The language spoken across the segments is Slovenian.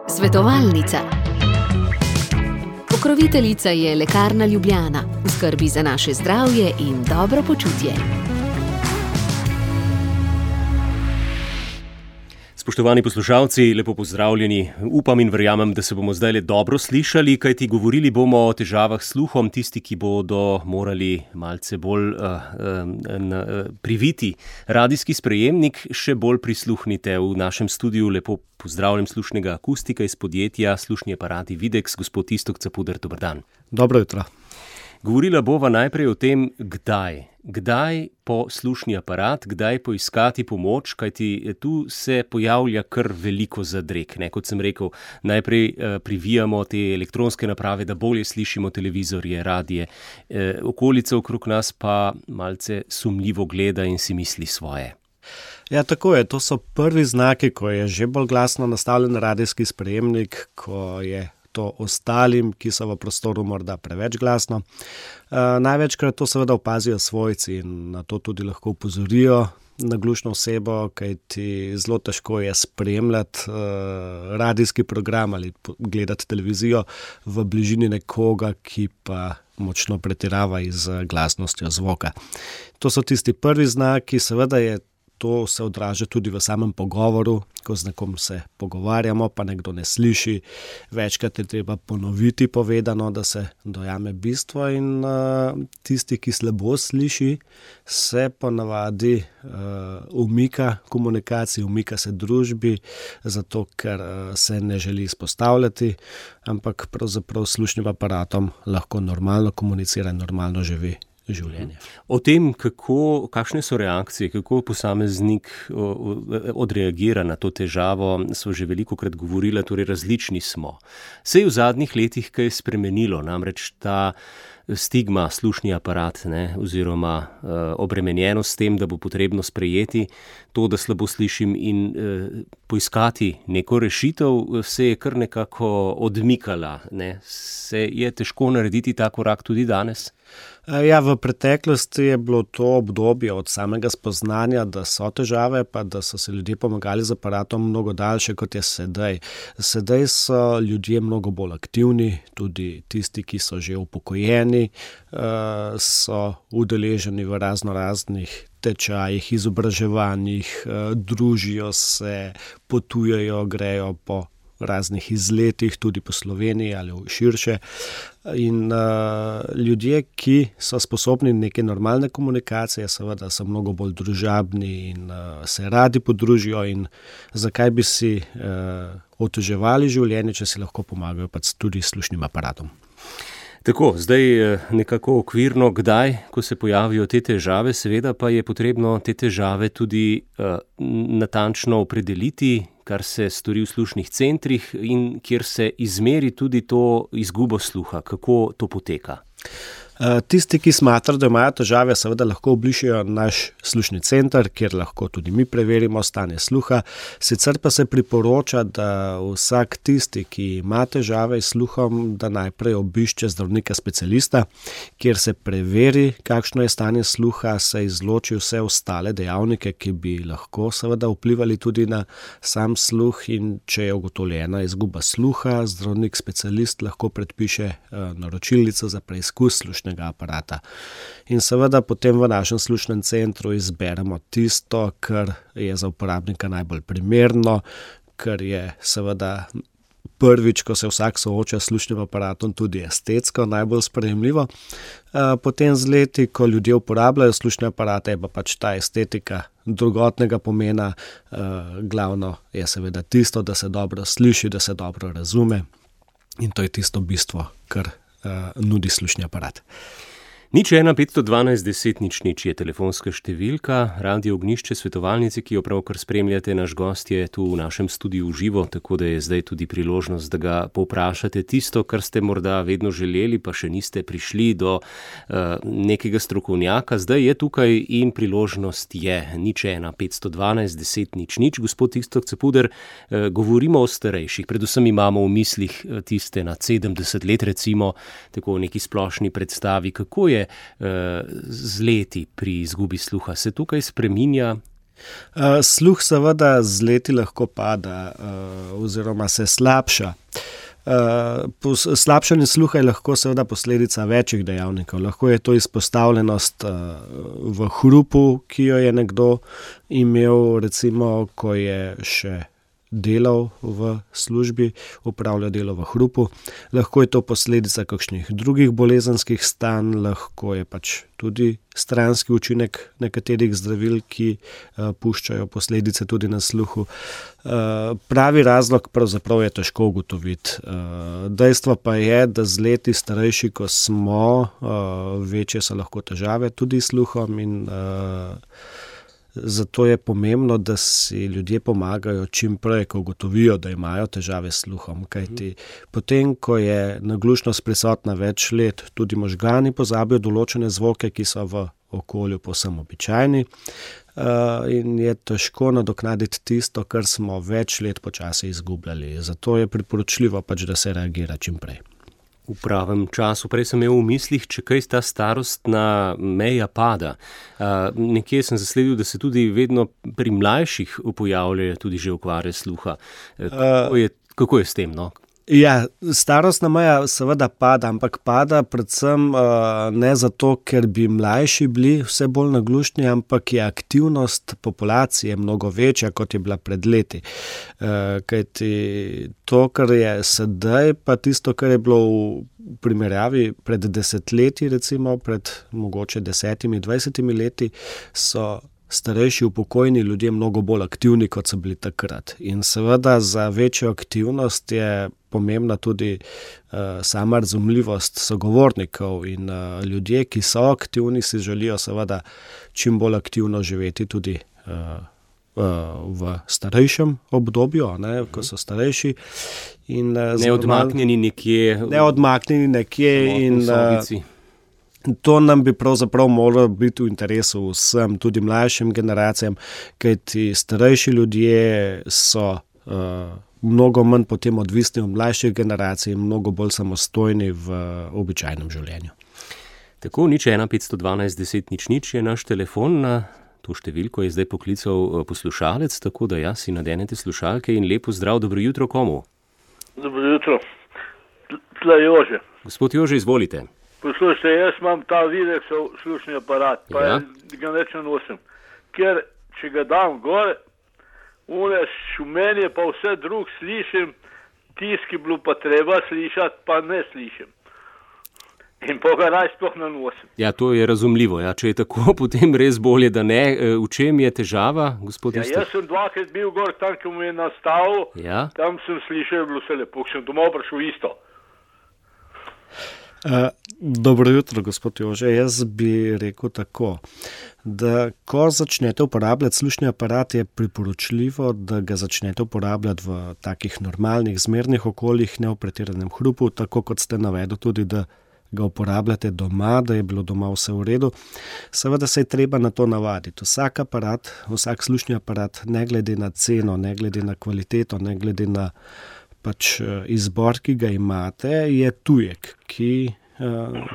Svetovalnica. Pokroviteljica je Lekarna Ljubljana. Skrbi za naše zdravje in dobro počutje. Spoštovani poslušalci, lepo pozdravljeni. Upam in verjamem, da se bomo zdaj dobro slišali, kajti govorili bomo o težavah s sluhom. Tisti, ki bodo morali malce bolj priviti radijski sprejemnik, še bolj prisluhnite. V našem studiu lepo pozdravljam slušnega akustika iz podjetja Slušni aparati Videx, gospod Iztok Capuder. Dober dan. Dobro jutro. Govorila bova najprej o tem, kdaj po slušni aparat, kdaj poiskati pomoč, kajti tu se pojavlja kar veliko zadreg. Kot sem rekel, najprej privijamo te elektronske naprave, da bolje slišimo televizorje, radije. Okolica okrog nas pa malce sumljivo gleda in si misli svoje. Ja, tako je. To so prvi znaki, ko je že bolj glasno nastavljen radijski sprejemnik, ko je to ostalim, ki so v prostoru morda preveč glasno. Največkrat to seveda opazijo svojci in na to tudi lahko opozorijo naglušno osebo, kajti zelo težko je spremljati radijski program ali gledati televizijo v bližini nekoga, ki pa močno pretirava z glasnostjo zvoka. To so tisti prvi znaki, seveda je to se odraža tudi v samem pogovoru, ko z nekom se pogovarjamo, pa nekdo ne sliši. Večkrat je treba ponoviti povedano, da se dojame bistvo in tisti, ki slabo sliši, se ponavadi umika komunikaciji, umika se družbi, zato ker se ne želi izpostavljati, ampak pravzaprav s slušnim aparatom lahko normalno komunicira in normalno živi življenje. O tem, kakšne so reakcije, kako posameznik odreagira na to težavo, so že velikokrat govorila, torej različni smo. Se je v zadnjih letih kaj spremenilo, namreč ta stigma slušni aparat, oziroma obremenjenost s tem, da bo potrebno sprejeti to, da slabo slišim in poiskati neko rešitev, se je kar nekako odmikala. Se je težko narediti ta korak tudi danes? Ja, v preteklosti je bilo to obdobje od samega spoznanja, da so težave, pa da so se ljudje pomagali z aparatom mnogo daljše, kot je sedaj. Sedaj so ljudje mnogo bolj aktivni, tudi tisti, ki so že upokojeni, so udeleženi v raznoraznih tečajih, izobraževanjih, družijo se, potujejo, grejo po raznih izletih, tudi po Sloveniji ali širše. In ljudje, ki so sposobni neke normalne komunikacije, seveda so mnogo bolj družabni in se radi podružijo in zakaj bi si oteževali življenje, če si lahko pomagajo pa tudi s slušnim aparatom. Tako, zdaj nekako okvirno, kdaj, ko se pojavijo te težave, seveda pa je potrebno te težave tudi natančno opredeliti, kar se stori v slušnih centrih in kjer se izmeri tudi to izgubo sluha. Kako to poteka? Tisti, ki smatrajo, da imajo težave, seveda lahko obišejo naš slušni center, kjer lahko tudi mi preverimo stanje sluha. Sicer pa se priporoča, da vsak tisti, ki ima težave s sluhom, da najprej obišče zdravnika specialista, kjer se preveri, kakšno je stanje sluha, se izloči vse ostale dejavnike, ki bi lahko seveda vplivali tudi na sam sluh, in če je ugotovljena izguba sluha, zdravnik specialist lahko predpiše naročilnico za preizkus slušnega aparata. In seveda potem v našem slušnem centru izberemo tisto, kar je za uporabnika najbolj primerno, kar je seveda prvič, ko se vsak sooča s slušnim aparatom, tudi estetsko najbolj sprejemljivo. Potem z leti, ko ljudje uporabljajo slušne aparate, je pa pač ta estetika drugotnega pomena. Glavno je seveda tisto, da se dobro sliši, da se dobro razume, in to je tisto bistvo, kar nudi slušni aparat. 01 512 10 00 je telefonska številka, Radio Ognjišče, svetovalnici, ki jo pravkar spremljate. Naš gost je tu v našem studiu v živo, tako da je zdaj tudi priložnost, da ga povprašate tisto, kar ste morda vedno želeli, pa še niste prišli do nekega strokovnjaka. Zdaj je tukaj in priložnost je. 01 512 10 00. Gospod Iztok Capuder, govorimo o starejših, predvsem imamo v mislih tiste nad 70 let, recimo, tako v neki splošni predstavi. Kako je z leti pri izgubi sluha? Se tukaj spreminja Sluh seveda z leti lahko pada oziroma se slabša. Slabšanje sluha je lahko seveda posledica večjih dejavnikov. Lahko je to izpostavljenost v hrupu, ki jo je nekdo imel, recimo, ko je še delal v službi, opravljal delo v hrupu. Lahko je to posledica kakšnih drugih bolezenskih stanj, lahko je pač tudi stranski učinek nekaterih zdravil, ki puščajo posledice tudi na sluhu. Pravi razlog pravzaprav je težko ugotoviti. Dejstvo pa je, da z leti starejši, ko smo, večje so lahko težave tudi s sluhom in zato je pomembno, da si ljudje pomagajo čim prej, ko ugotovijo, da imajo težave s sluhom. Kajti potem, ko je naglušnost prisotna več let, tudi možgani pozabijo določene zvoke, ki so v okolju povsem običajni, in je težko nadoknaditi tisto, kar smo več let počasi izgubljali. Zato je priporočljivo pač, da se reagira čim prej. V pravem času. Prej sem imel v mislih, če kaj ta starostna meja pada. Nekje sem zasledil, da se tudi vedno pri mlajših pojavljajo tudi že okvare sluha. Kako je s tem, no? Ja, starostna meja seveda pada, ampak pada predvsem ne zato, ker bi mlajši bili vse bolj naglušni, ampak je aktivnost populacije mnogo večja, kot je bila pred leti. Kajti to, kar je sedaj, pa tisto, kar je bilo v primerjavi pred desetletji, recimo pred mogoče 10-20 leti, so starejši upokojeni ljudje mnogo bolj aktivni, kot so bili takrat. In seveda za večjo aktivnost je pomembna tudi sama razumljivost sogovornikov in ljudje, ki so aktivni, si želijo seveda čim bolj aktivno živeti tudi v starejšem obdobju, ne, ko so starejši. In, neodmaknjeni nekje in to nam bi pravzaprav moralo biti v interesu vsem, tudi mlajšim generacijam, kajti starejši ljudje so mnogo manj potem odvisni od mlajših generacij in mnogo bolj samostojni v običajnem življenju. Tako, 01 512 10 00 je naš telefon, na to številko je zdaj poklical poslušalec, tako da si nadenete slušalke in lepo zdrav, dobro jutro komu? Dobro jutro, tle Jože. Gospod Jože, izvolite. Poslušajte, jaz imam ta Videxov slušni aparat, pa ga neč nosim, ker če ga dam gor, šumenje pa vse drug slišim, tiski bilo pa treba slišati, pa ne slišim. In pa ga naj sploh ne nosim. Ja, to je razumljivo. Ja. Če je tako, potem res bolje, da ne. V čem je težava, gospod Istek? Jaz sem dvakrat bil gor, tam, ko mu je nastavil, tam sem slišal, bilo vse lepo, sem domov prišel isto. Dobro jutro, gospod Jože. Jaz bi rekel tako, da ko začnete uporabljati slušni aparat, je priporočljivo, da ga začnete uporabljati v takih normalnih, zmernih okoljih, ne v pretiranem hrupu, tako kot ste navedli tudi, da ga uporabljate doma, da je bilo doma vse v redu. Seveda se je treba na to navaditi. Vsak aparat, vsak slušni aparat, ne glede na ceno, ne glede na kvaliteto, ne glede na izbor, ki ga imate, je tujek,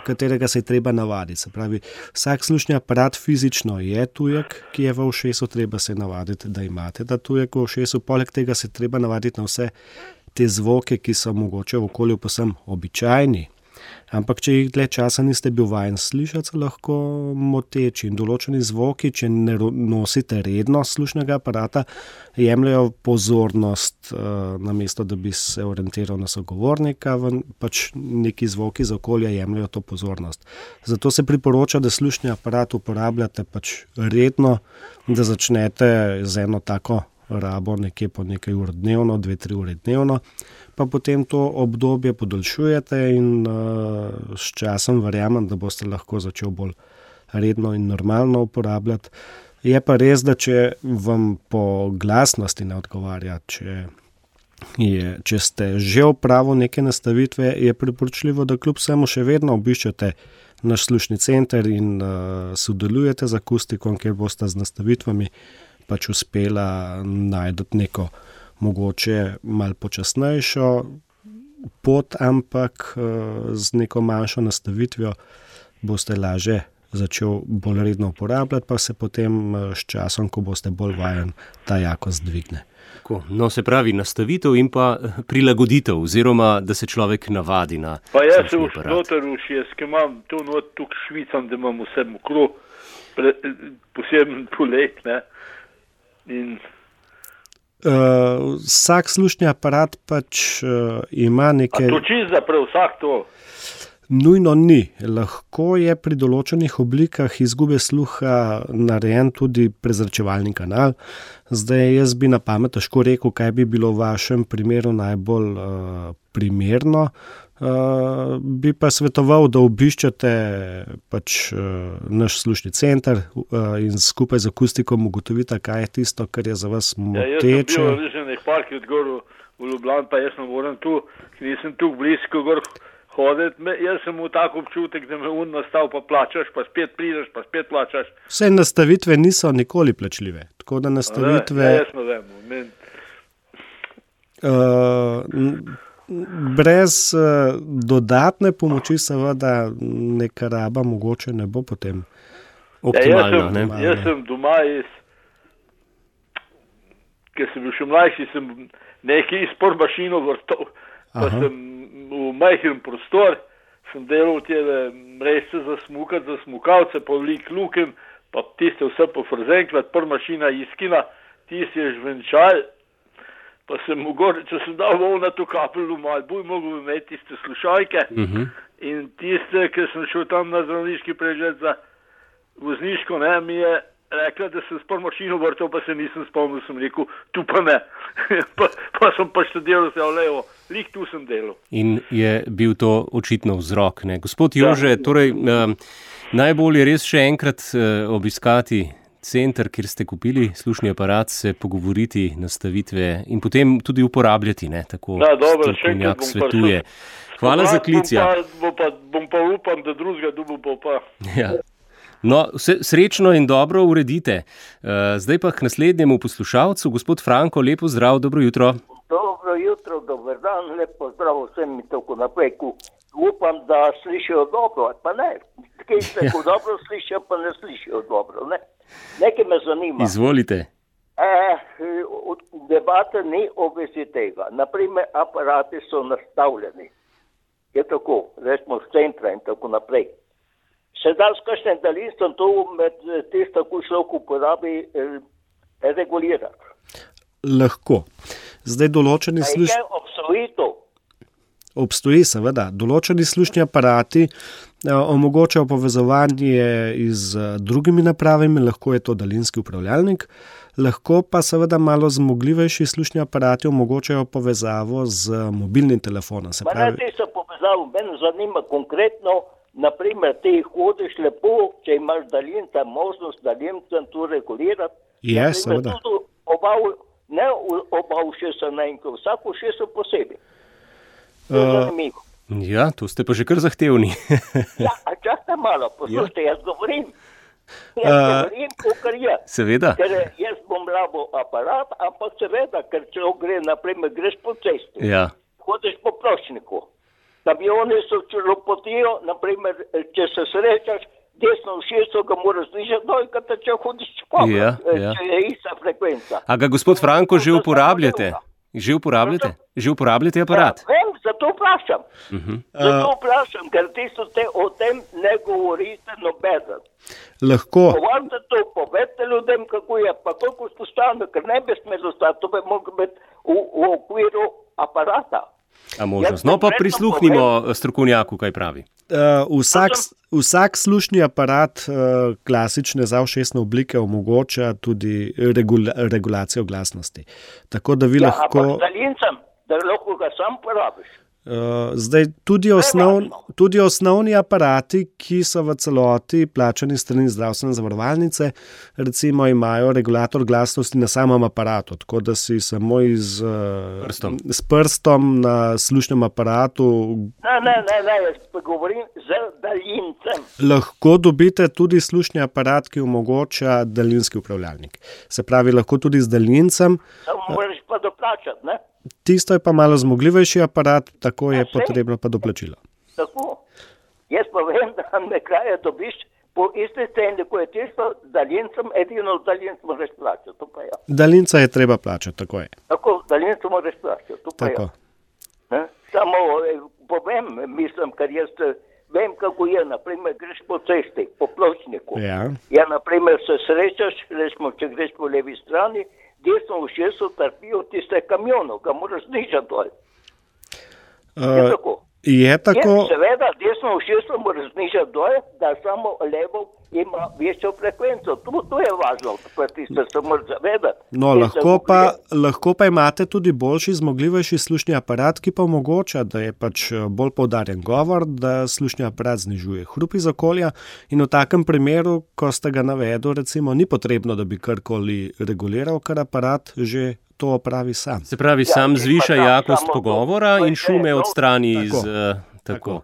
katerega se je treba navaditi. Se pravi, vsak slušni aparat fizično je tujek, ki je v ušesu, treba se navaditi, da imate ta tujek v ušesu. Poleg tega se treba navaditi na vse te zvoke, ki so mogoče v okolju povsem običajni. Ampak če jih dlje časa niste bil vajen slišati, so lahko moteči in določeni zvoki, če ne nosite redno slušnega aparata, jemljajo pozornost, namesto da bi se orientiral na sogovornika, neki zvoki iz okolja jemljajo to pozornost. Zato se priporoča, da slušni aparat uporabljate redno, da začnete z eno tako rabo nekje po nekaj ur dnevno, 2-3 ure dnevno, pa potem to obdobje podaljšujete in s časom verjamem, da boste lahko začel bolj redno in normalno uporabljati. Je pa res, da če vam po glasnosti ne odgovarja, če ste že opravili neke nastavitve, je priporočljivo, da kljub vsemu še vedno obiščete naš slušni center in sodelujete z akustikom, kjer boste z nastavitvami uspela najti neko mogoče malo počasnejšo pot, ampak z neko manjšo nastavitvijo boste lažje začel bolj redno uporabljati, pa se potem s časom, ko boste bolj vajen, ta jakost dvigne. No, se pravi, nastavitev in pa prilagoditev, oziroma da se človek navadi na pa jaz se slušni aparat. noter ušjes, ki imam tu not, tukaj švicam, da imam vse mokro, poseben polet, ne. In vsak slušni aparat pač ima neke... a to čisto za prav vsak to? Nujno ni. Lahko je pri določenih oblikah izgube sluha narejen tudi prezračevalni kanal. Zdaj jaz bi na pamet težko rekel, kaj bi bilo v vašem primeru najbolj primerno. Bi pa svetoval, da obiščete pač naš slušni center in skupaj z akustikom ugotovite, kaj je tisto, kar je za vas moteče. Jaz sem bil v Liženih parkih odgor v Ljubljani, pa jaz ne moram tu, ker nisem tu blisko gor hoditi. Jaz sem v tak občutek, da me nastav, pa plačaš, pa spet prideš, pa spet plačaš. Vse nastavitve niso nikoli plačljive. Tako da nastavitve... Jaz ne vem. Brez dodatne pomoči seveda neka raba mogoče ne bo potem optimalna. Jaz sem doma ker sem bil še mlajši, sem nekaj izpor mašino vrtal, pa sem v majhen prostor, sem delal tele mrežce za smukalce, pa vlik lukem, pa tiste vse pofrzenkrat, prva mašina iskina, tiste je žvenčal, pa sem mogoče, če sem dal na to kapelu malo, bolj mogel imeti tiste slušalke in tiste, ki sem šel tam na zdravniški pregled za vozniško, ne, mi je rekla, da sem s prvo mašino vrtal, pa se nisem spomnil, sem rekel, tu pa ne. pa sem pa študiral se, levo, lik tu sem delal. In je bil to očitno vzrok, ne? Gospod Jože, torej, najbolj je res še enkrat obiskati center, kjer ste kupili slušni aparat, se pogovoriti, nastavitve in potem tudi uporabljati, ne? Tako strokovnjak svetuje. Hvala za klic. Bom pa upam, da drugega dobu bo pa. Ja. No, srečno in dobro uredite. Zdaj pa k naslednjemu poslušalcu, gospod Franko, lepo zdrav, dobro jutro. Dobro jutro, dober dan, lepo zdrav vsem in tako naprej. Upam, da slišijo dobro, pa ne. Kaj se dobro slišijo, pa ne slišijo dobro, ne. Nekaj me zanima. Izvolite. Debate ni o vezi tega. Naprimer, aparati so nastavljeni. Je tako, recimo z centra in tako naprej. Se da s kakšnim daljinstvom to med tisto, ko človek uporabi, regulirati? Lahko. Zdaj določeni obstoji seveda. Določeni slušni aparati omogočajo povezovanje z drugimi napravami, lahko je to daljinski upravljalnik, lahko pa seveda malo zmogljivejši slušni aparati omogočajo povezavo z mobilnim telefonom. Pa ne tisto povezavo, mene zanima konkretno. Naprimer, ti hodiš lepo, če imaš daljinca, možnost daljinca tu regulirati. Je, seveda. Ne oba všesa naenkrat, vsako všesa posebej. To je zanimivo. Ja, to ste pa že kar zahtevni. Ja, a čakajte malo, poslušajte, jaz govorim. Kakor je. Seveda. Ker jaz bom rabo aparat, ampak seveda, ker če gre, naprimer, greš po cesti. Ja. Hodiš po pločniku. Kamioni so čelopotijo, naprimer, če se srečaš, desno všeso ga moraš slišati, dojkata, če hodiš čpoma, če je ista frekvenca. A ga, gospod Franko, že uporabljate? Že uporabljate aparat? Ja, vem, zato vprašam. Zato vprašam, ker tisto o tem ne govorite nobeden. Lahko. Govorite to, povedite ljudem, kako je, pa koliko spostavno, ker ne bi smelo stati, to bi moglo biti v okviru aparata. A možnost. No, pa prisluhnimo strokovnjaku, kaj pravi. Vsak slušni aparat klasične zavšesne oblike omogoča tudi regulacijo glasnosti. Tako da vi lahko... Ampak z daljincem, da lahko ga sam porabiš. Zdaj, tudi osnovni aparati, ki so v celoti plačani strani zdravstvene zavarovalnice, recimo imajo regulator glasnosti na samem aparatu, tako da si samo s prstom na slušnem aparatu... Ne, jaz govorim z daljincem. Lahko dobite tudi slušni aparat, ki omogoča daljinski upravljalnik. Se pravi, lahko tudi z daljincem. Samo moraš pa doplačati, ne? Tisto je pa malo zmogljivejši aparat, tako je potrebno pa doplačilo. Tako. Jaz pa vem, da me kraje dobiš po isti ceni, ko je tisto, daljincem, edino daljinc moraš plačati, to pa ja. Daljinca je treba plačati, tako je. Tako, daljincu moraš plačati, to pa Tako. ja. Samo povem, mislim, ker jaz vem, kako je, naprimer, greš po cesti, po pločniku. Ja, naprimer, se srečaš, recimo, če greš po levi strani, desno ušeso trpijo tiste kamionov, ga moraš znižati dol. Je tako? Je tako. Seveda, desno ušeso moraš znižati dol, da samo levo ima večjo frekvenco. To je važno, pa tiste se moraš zavedati. No, lahko pa imate tudi boljši, zmogljivejši slušni aparat, ki pa omogoča, da je pač bolj poudarjen govor, da slušni aparat znižuje hrup iz okolja in v takem primeru, ko ste ga navedli, recimo, ni potrebno, da bi karkoli reguliral, ker aparat že to opravi sam. Se pravi, sam zviša jakost pogovora in šume odstrani iz... Tako.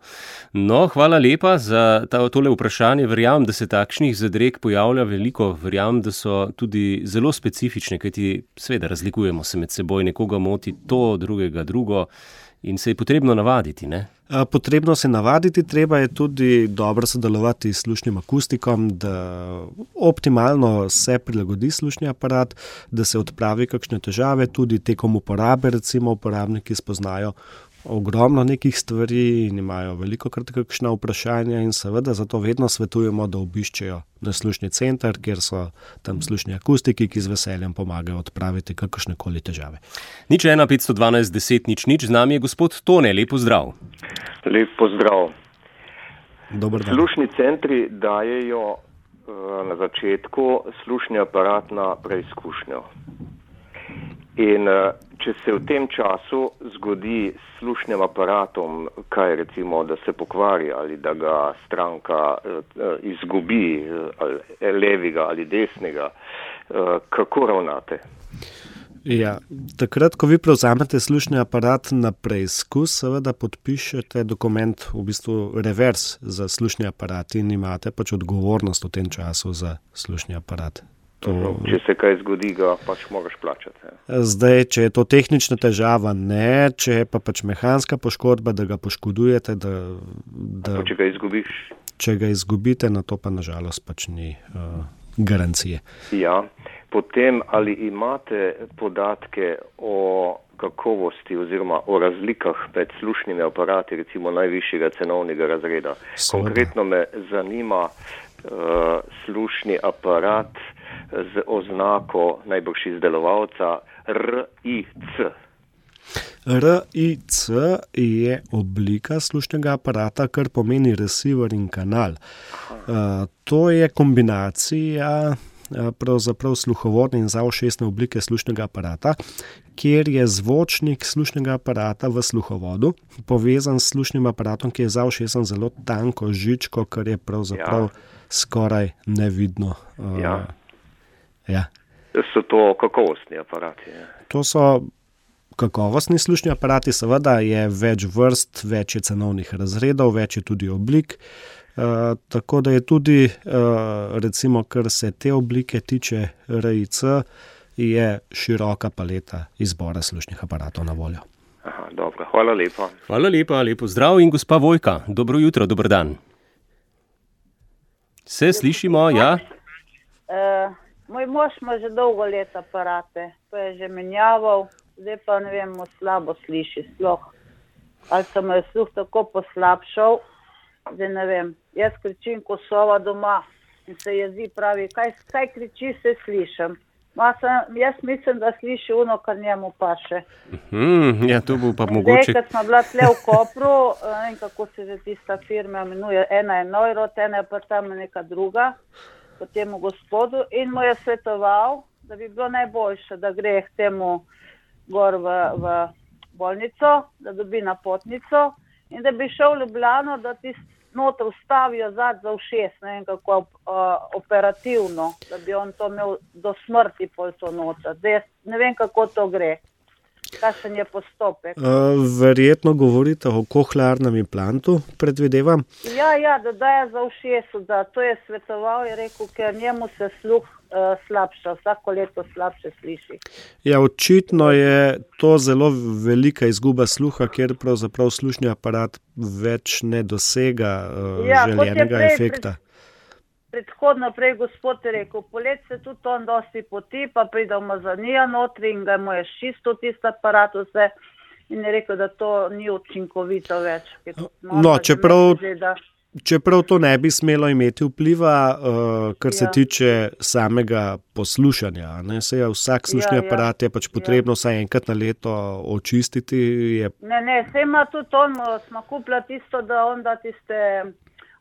No, hvala lepa za tole vprašanje. Verjamem, da se takšnih zadreg pojavlja veliko. Verjamem, da so tudi zelo specifične, kajti seveda razlikujemo se med seboj. Nekoga moti to, drugega drugo in se je potrebno navaditi, ne? Potrebno se navaditi, treba je tudi dobro sodelovati s slušnim akustikom, da optimalno se prilagodi slušni aparat, da se odpravi kakšne težave, tudi tekom uporabe, recimo uporabniki spoznajo ogromno nekih stvari in imajo velikokrat kakšna vprašanja in seveda zato vedno svetujemo, da obiščejo naš slušni center, kjer so tam slušni akustiki, ki z veseljem pomagajo odpraviti kakršnekoli težave. 01 512 10 00, z nami je gospod Tone, lep pozdrav. Lep pozdrav. Dober dan. Slušni centri dajejo na začetku slušni aparat na preizkušnjo. In če se v tem času zgodi s slušnim aparatom, kaj recimo, da se pokvari ali da ga stranka izgubi, ali levega ali desnega, kako ravnate? Ja, takrat, ko vi prevzamete slušni aparat na preizkus, seveda podpišete dokument, v bistvu revers za slušni aparat in imate pač odgovornost v tem času za slušni aparat. Če se kaj zgodi, ga pač moraš plačati. Zdaj, če je to tehnična težava, ne, če je pa pač mehanska poškodba, da ga poškodujete, če ga izgubiš? Če ga izgubite, na to pa nažalost pač ni garancije. Ja, potem ali imate podatke o kakovosti oziroma o razlikah med slušnimi aparati, recimo najvišjega cenovnega razreda? Konkretno me zanima slušni aparat z oznako najbrž izdelovalca RIC. RIC je oblika slušnega aparata, kar pomeni receiver in kanal. To je kombinacija pravzaprav sluhovodne in zavšesne oblike slušnega aparata, kjer je zvočnik slušnega aparata v sluhovodu povezan s slušnim aparatom, ki je zavšesen zelo tanko žičko, kar je pravzaprav skoraj nevidno. Ja. So to kakovostni aparati? To so kakovostni slušni aparati, seveda je več vrst, več je cenovnih razredov, več je tudi oblik, tako da je tudi, recimo, kar se te oblike tiče RIC, je široka paleta izbora slušnih aparatov na voljo. Aha, dobro, hvala lepa. Hvala lepa, lepo zdrav in gospa Vojka, dobro jutro, dober dan. Se slišimo, ja? Moj mož ima že dolgo let aparate, to je že menjaval, zdaj pa ne vem, slabo sliši sploh. Ali se mu je sluh tako poslabšal, zdaj ne vem. Jaz kričim ko sova doma in se jezi, pravi, kaj kriči, se slišim. Jaz mislim, da sliši ono, kar njemu paše. Ja, to bo pa mogoče. Zdaj, kad smo bila tle v Kopru, in kako se že tista firma imenuje, ena je Neurot, ena je pa tam neka druga, po temu gospodu, in mu je svetoval, da bi bilo najboljše, da gre k temu gor v bolnico, da dobi napotnico in da bi šel v Ljubljano, da ti noter vstavijo zad za ušes, ne vem kako operativno, da bi on to imel do smrti pol to noter. Zdaj, ne vem kako to gre. Kakšen je postopek? Verjetno govorite o kohlearnem implantu, predvidevam? Ja, da daje za ušesu, da to je svetoval, je rekel, ker njemu se sluh slabša, vsako leto slabše sliši. Ja, očitno je to zelo velika izguba sluha, kjer pravzaprav slušni aparat več ne dosega željenega efekta. predhodno prej gospod je rekel, polet se tudi on dosti poti, pa pride umazanija notri in ga je čisto tisti aparat vse in je rekel, da to ni učinkovito več. Čeprav to ne bi smelo imeti vpliva, kar se tiče samega poslušanja. Ne? Vsak slušni aparat je pač potrebno vsaj enkrat na leto očistiti. Ne, se ima tudi on, smo kupila tisto, da on da tiste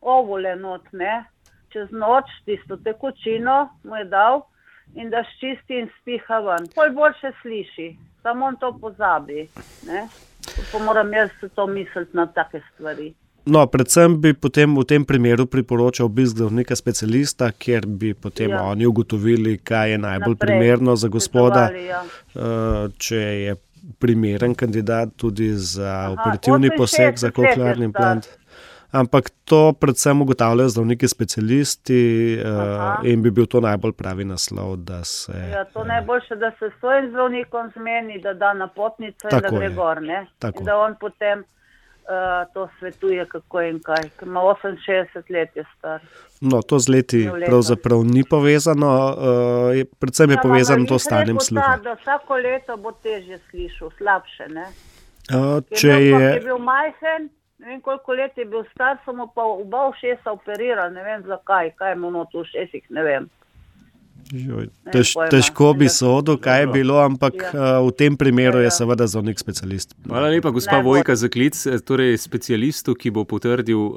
ovule not, ne? Čez noč, tisto tekočino mu je dal in da ščisti in spiha ven. Pol boljše sliši, samo on to pozabi. Ne? Pa moram jaz to misliti na take stvari. No, predvsem bi potem v tem primeru priporočal obisk zdravnika specialista, kjer bi potem oni ugotovili, kaj je najbolj primerno za gospoda, če je primeren kandidat tudi za operativni poseg, za koklearni implant. Ampak to predvsem ugotavljajo zdravniki specialisti in bi bil to najbolj pravi naslov, da se... Ja, to najboljše, da se s svojim zdravnikom zmeni, da da napotnico in da gre gor, ne? In da on potem to svetuje, kako in kaj, ker ima 68 let je star. No, to z leti pravzaprav ni povezano, predvsem je povezano to stanjem sluha. Da vsako leto bo težje slišal, slabše, ne? Če je bil majhen, ne vem koliko let je bil star, so mu pa oba ušesa operirali, ne vem zakaj, kaj je mu not v ušesih, ne vem. Težko bi sodil, kaj je bilo, ampak v tem primeru je seveda zdravnik specialist. Hvala lepa, gospa Vojka, za klic, torej specialistu, ki bo potrdil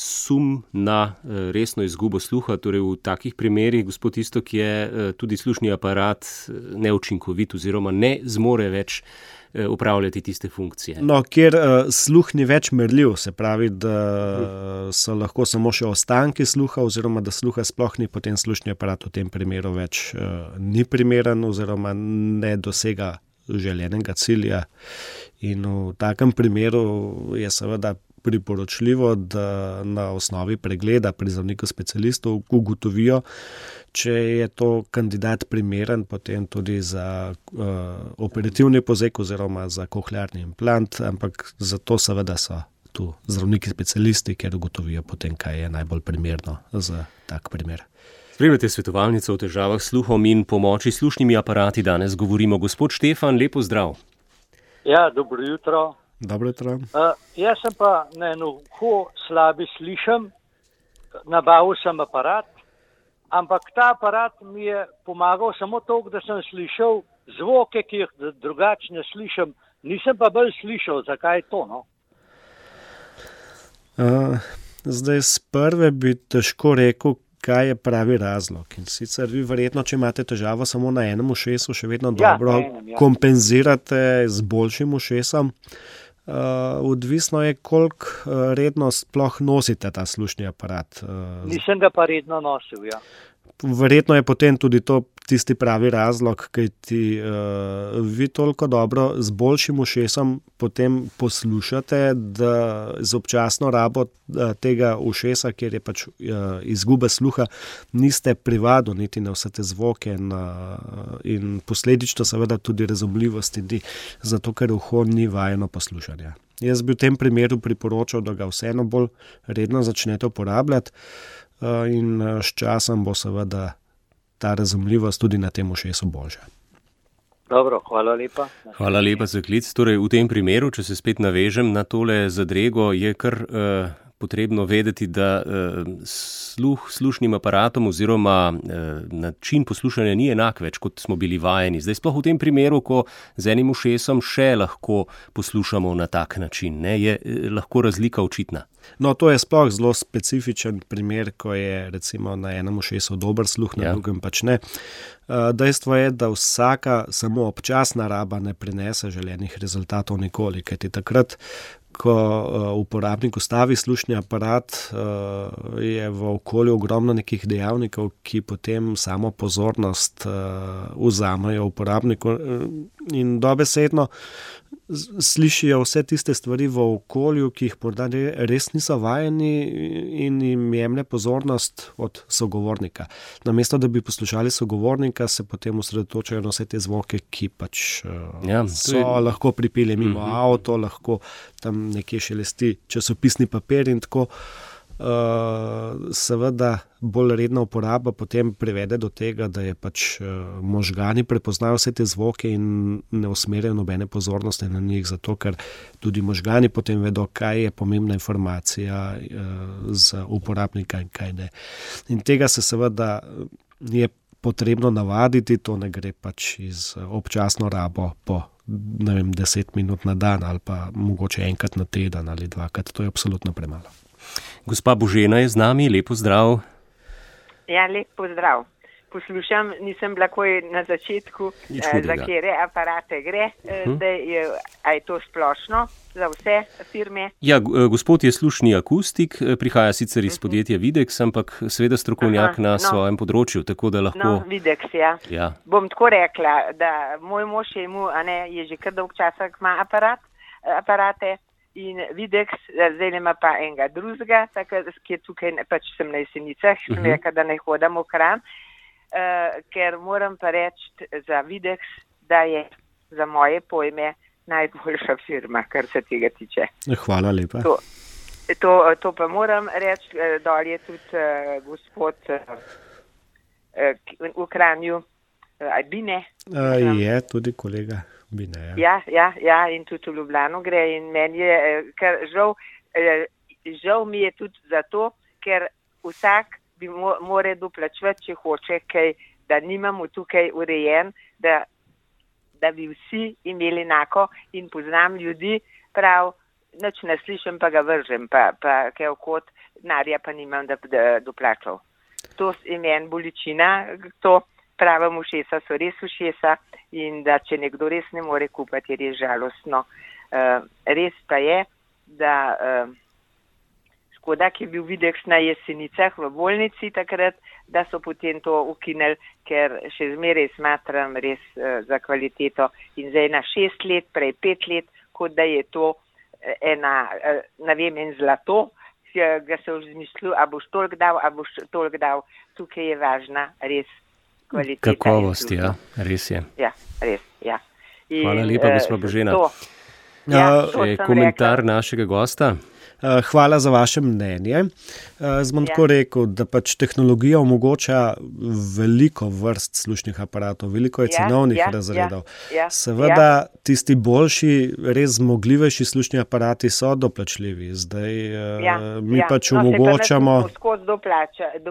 sum na resno izgubo sluha, torej v takih primerih, gospod Iztok, je tudi slušni aparat neučinkovit oziroma ne zmore več upravljati tiste funkcije. No, kjer sluh ni več merljiv, se pravi, da so lahko samo še ostanki sluha oziroma da sluha sploh ni, potem slušni aparat v tem primeru več ni primeren oziroma ne dosega željenega cilja. In v takem primeru je seveda priporočljivo, da na osnovi pregleda pri zdravniku specialistov ugotovijo, če je to kandidat primeren potem tudi za operativni poseg oziroma za koklearni implant, ampak zato seveda so tu zdravniki specialisti, ker ugotovijo potem, kaj je najbolj primerno za tak primer. Spremljate svetovalnico o težavah s sluhom in pomoči s slušnimi aparati. Danes govorimo. Gospod Štefan, lepo zdrav. Ja, dobro jutro. Dobro jutro. Jaz sem pa na eno slabi slišem, nabavil sem aparat, ampak ta aparat mi je pomagal samo toliko, da sem slišal zvoke, ki jih drugače ne slišim. Nisem pa bolj slišal, zakaj je to, no? Zdaj, z prve bi težko rekel, kaj je pravi razlog. In sicer vi verjetno, če imate težavo samo na enem ušesu, še vedno dobro kompenzirate z boljšim ušesom. Odvisno je, koliko redno sploh nosite ta slušni aparat. Nisem ga pa redno nosil, ja. Verjetno je potem tudi to tisti pravi razlog, kajti vi toliko dobro z boljšim ušesom potem poslušate, da z občasno rabo tega ušesa, kjer je pač izguba sluha, niste privadili niti na vse te zvoke in posledično seveda tudi razumljivosti ni, zato ker uho ni vajeno poslušanja. Jaz bi v tem primeru priporočal, da ga vseeno bolj redno začnete uporabljati in s časom bo seveda ta razumljivost tudi na tem ušesu boljša. Dobro, hvala lepa. Hvala lepa za klic. Torej, v tem primeru, če se spet navežem na tole zadrego, je kar potrebno vedeti, da slušnim aparatom oziroma način poslušanja ni enak več, kot smo bili vajeni. Zdaj sploh v tem primeru, ko z enim ušesom še lahko poslušamo na tak način, ne, je lahko razlika očitna. No, to je sploh zelo specifičen primer, ko je recimo na enem ušesu dober sluh, na drugem pač ne. Dejstvo je, da vsaka samo občasna raba ne prinese želenih rezultatov nikoli, kajti takrat, ko uporabnik ustavi slušni aparat, je v okolju ogromno nekih dejavnikov, ki potem samo pozornost vzamejo uporabniku in dobesedno slišijo vse tiste stvari v okolju, ki jih morda res niso vajeni in jim jemlje pozornost od sogovornika. Namesto, da bi poslušali sogovornika, se potem osredotočajo na vse te zvoke, ki pač lahko pripelje mimo avto, lahko tam nekje šelesti časopisni papir in tako. seveda bolj redna uporaba potem privede do tega, da je pač možgani prepoznajo vse te zvoke in ne usmerjajo nobene pozornosti na njih, zato ker tudi možgani potem vedo, kaj je pomembna informacija za uporabnika in kaj ne. In tega se seveda je potrebno navaditi, to ne gre pač iz občasno rabo po 10 minut na dan ali pa mogoče enkrat na teden ali dvakrat, to je absolutno premalo. Gospa Božena je z nami, lepo zdrav. Ja, lepo zdrav. Poslušam, nisem bila koj na začetku, za kere aparate gre, a je to splošno za vse firme? Ja, gospod je slušni akustik, prihaja sicer iz podjetja Videx, ampak seveda strokovnjak na svojem področju, tako da lahko... No, Videx, ja. Bom tako rekla, da moj mož je že kar dolg časa ima aparate in Videx, zdaj ima pa enega drugega, ki je tukaj, pač sem na Jesenicah, sem rekla, da ne hodam v Kranj, ker moram pa reči za Videx, da je za moje pojme najboljša firma, kar se tega tiče. Hvala lepa. To pa moram reči, dol je tudi gospod v Kranju, Bine. Je tudi kolega Bine. Ja, in tudi v Ljubljano gre in meni je, ker žal mi je tudi zato, ker vsak bi more doplačevati, če hoče kaj, da nimamo tukaj urejen, da bi vsi imeli enako in poznam ljudi, prav, nič ne slišim, pa ga vržem, pa kaj okot, denarja pa nimam, da doplačal. To je meni bolečina, to pravim, ušesa so res ušesa in da če nekdo res ne more kupati, je res žalostno. Res pa je, da škoda, ki je bil Videx na Jesenicah v bolnici takrat, da so potem to ukinili, ker še zmeraj smatram res za kvaliteto in zdaj na 6 let, prej 5 let, kot da je to en zlato, ga se v zmislil, a boš toliko dal, tukaj je važna res kvaliteta. Kakovost, ja, res je. Ja, res, ja. Hvala lepa, gospa Božena. Komentar našega gosta. Hvala za vaše mnenje. Bom tako rekel, da pač tehnologija omogoča veliko vrst slušnih aparatov, veliko je cenovnih razredov. Seveda tisti boljši, res zmogljivejši slušni aparati so doplačljivi. Zdaj mi pač omogočamo...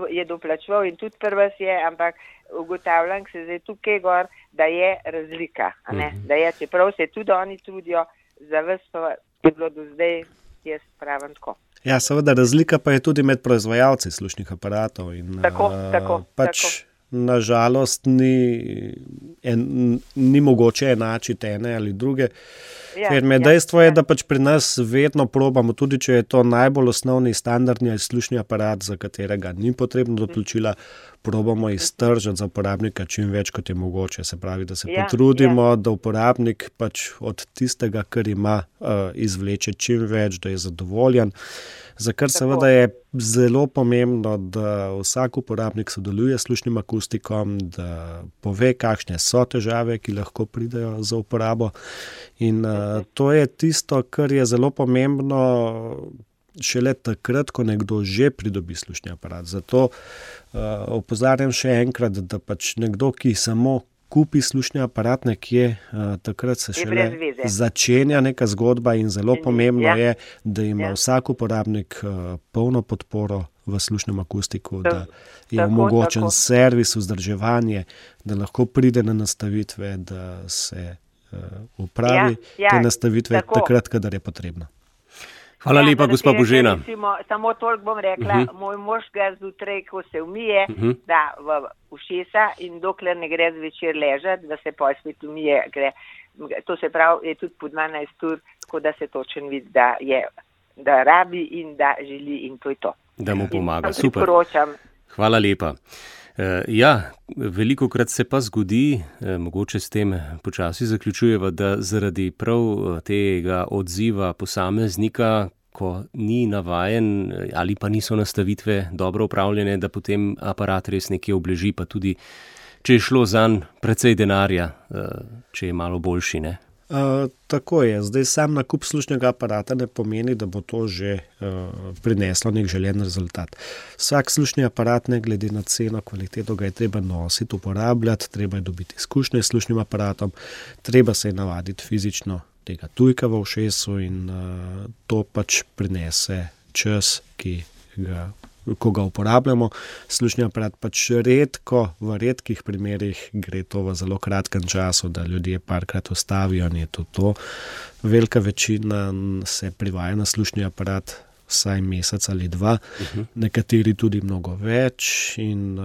Je doplačeval in tudi prvas je, ampak ugotavljam se zdaj tukaj gor, da je razlika. Da je, čeprav se tudi oni trudijo, za vas pa je bilo do zdaj jaz pravim tako. Ja, seveda razlika pa je tudi med proizvajalci slušnih aparatov in pač nažalost ni mogoče enačiti ene ali druge. Ker dejstvo je, da pač pri nas vedno probamo, tudi če je to najbolj osnovni standardni slušni aparat, za katerega ni potrebno doplačila, probamo iztržiti za uporabnika čim več, kot je mogoče. Se pravi, da se potrudimo, da uporabnik pač od tistega, kar ima, izvleče čim več, da je zadovoljen. Za kar seveda je zelo pomembno, da vsak uporabnik sodeluje s slušnim akustikom, da pove, kakšne so težave, ki lahko pridejo za uporabo. In to je tisto, kar je zelo pomembno šele takrat, ko nekdo že pridobi slušni aparat. Zato opozarjam še enkrat, da pač nekdo, ki samo kupi slušni aparat nekje, takrat se šele začenja neka zgodba in zelo pomembno je, da ima vsak uporabnik polno podporo v slušnem akustiku, da je omogočen servis, vzdrževanje, da lahko pride na nastavitve, da se upravi te nastavitve takrat, kadar je potrebno. Hvala lepa, gospa Božena. Samo toliko bom rekla, moj mož ga zjutraj, ko se umije, da v ušesa in dokler ne gre zvečer ležati, da se pol spet umije, gre. To se pravi, je tudi po 12 ur, tako da se točen vidi, da rabi in da želi in to je to. Da mu pomaga, super. Hvala lepa. Ja, velikokrat se pa zgodi, mogoče s tem počasi zaključujeva, da zaradi prav tega odziva posameznika, ko ni navajen ali pa niso nastavitve dobro upravljene, da potem aparat res nekje obleži, pa tudi, če je šlo zanj precej denarja, če je malo boljši, ne? Tako je. Zdaj sam nakup slušnega aparata ne pomeni, da bo to že prineslo nek želen rezultat. Vsak slušni aparat, ne glede na ceno, kvaliteto, ga je treba nositi, uporabljati, treba je dobiti izkušnje s slušnim aparatom, treba se je navaditi fizično tega tujka v ušesu in to pač prinese čas, ko ga uporabljamo. Slušni aparat pač v redkih primerih gre to v zelo kratkem času, da ljudje parkrat ustavijo in je to. Velika večina se privaja na slušni aparat vsaj mesec ali dva, nekateri tudi mnogo več in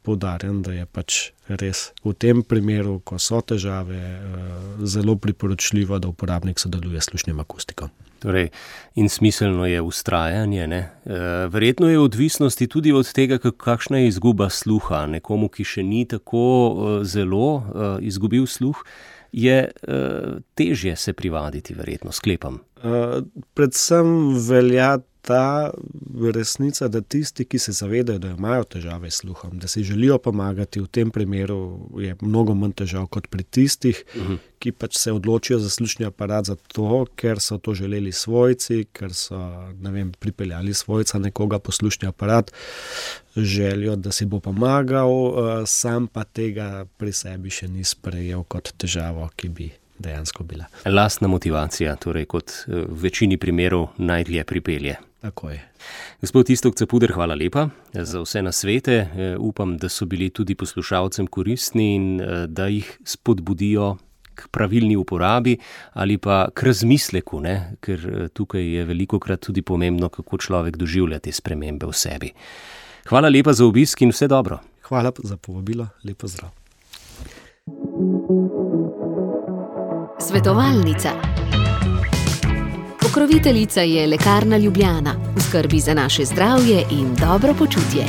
poudarjam, da je pač res v tem primeru, ko so težave, zelo priporočljivo, da uporabnik sodeluje s slušnim akustikom. Torej, in smiselno je vztrajanje, ne? Verjetno je odvisnosti tudi od tega, kakšna je izguba sluha. Nekomu, ki še ni tako zelo izgubil sluh, je težje se privaditi, verjetno, sklepam. Predvsem velja ta resnica, da tisti, ki se zavedajo, da imajo težave s sluhom, da si želijo pomagati, v tem primeru je mnogo manj težav kot pri tistih, ki pač se odločijo za slušni aparat zato, ker so to želeli svojci, ker so, pripeljali svojca nekoga po slušni aparat, želijo, da si bo pomagal, sam pa tega pri sebi še ni sprejel kot težavo, ki bi dejansko bila. Lastna motivacija, torej kot v večini primerov najdlje pripelje. Tako je. Gospod Iztok Capuder, hvala lepa za vse nasvete. Upam, da so bili tudi poslušalcem koristni in da jih spodbudijo k pravilni uporabi ali pa k razmisleku, ne? Ker tukaj je velikokrat tudi pomembno, kako človek doživlja te spremembe v sebi. Hvala lepa za obisk in vse dobro. Hvala za povabilo, lep pozdrav. Svetovalnica. Pokroviteljica je Lekarna Ljubljana, v skrbi za naše zdravje in dobro počutje.